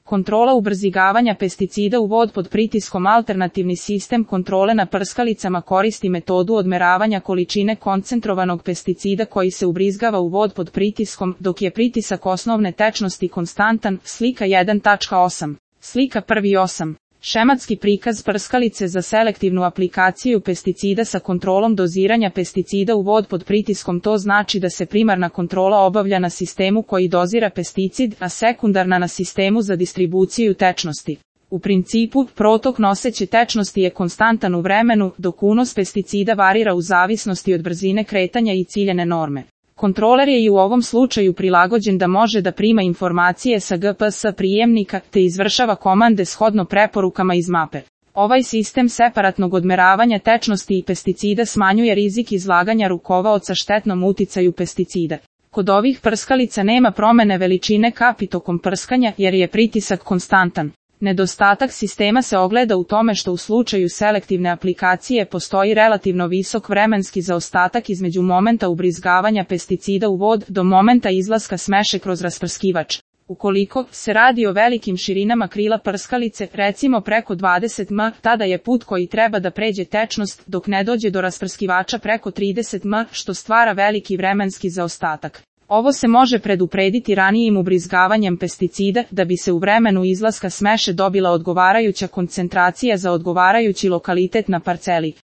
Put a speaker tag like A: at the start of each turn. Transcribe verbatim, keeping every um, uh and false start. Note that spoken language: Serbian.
A: Kontrola ubrzigavanja pesticida u vod pod pritiskom. Alternativni sistem kontrole na prskalicama koristi metodu odmeravanja količine koncentrovanog pesticida koji se ubrizgava u vod pod pritiskom, dok je pritisak osnovne tečnosti konstantan. Slika jedan tačka osam. Slika prvi osam. Šematski prikaz prskalice za selektivnu aplikaciju pesticida sa kontrolom doziranja pesticida u vod pod pritiskom. To znači da se primarna kontrola obavlja na sistemu koji dozira pesticid, a sekundarna na sistemu za distribuciju tečnosti. U principu, protok noseće tečnosti je konstantan u vremenu, dok unos pesticida varira u zavisnosti od brzine kretanja i ciljane norme. Kontroler je i u ovom slučaju prilagođen da može da prima informacije sa G P S prijemnika te izvršava komande shodno preporukama iz mape. Ovaj sistem separatnog odmeravanja tečnosti i pesticida smanjuje rizik izlaganja rukovaoca štetnom uticaju pesticida. Kod ovih prskalica nema promene veličine kapi tokom prskanja jer je pritisak konstantan. Nedostatak sistema se ogleda u tome što u slučaju selektivne aplikacije postoji relativno visok vremenski zaostatak između momenta ubrizgavanja pesticida u vod do momenta izlaska smeše kroz rasprskivač. Ukoliko se radi o velikim širinama krila prskalice, recimo preko dvadeset metara, tada je put koji treba da pređe tečnost dok ne dođe do rasprskivača preko trideset metara, što stvara veliki vremenski zaostatak. Ovo se može preduprediti ranijim ubrizgavanjem pesticida da bi se u vremenu izlaska smeše dobila odgovarajuća koncentracija za odgovarajući lokalitet na parceli.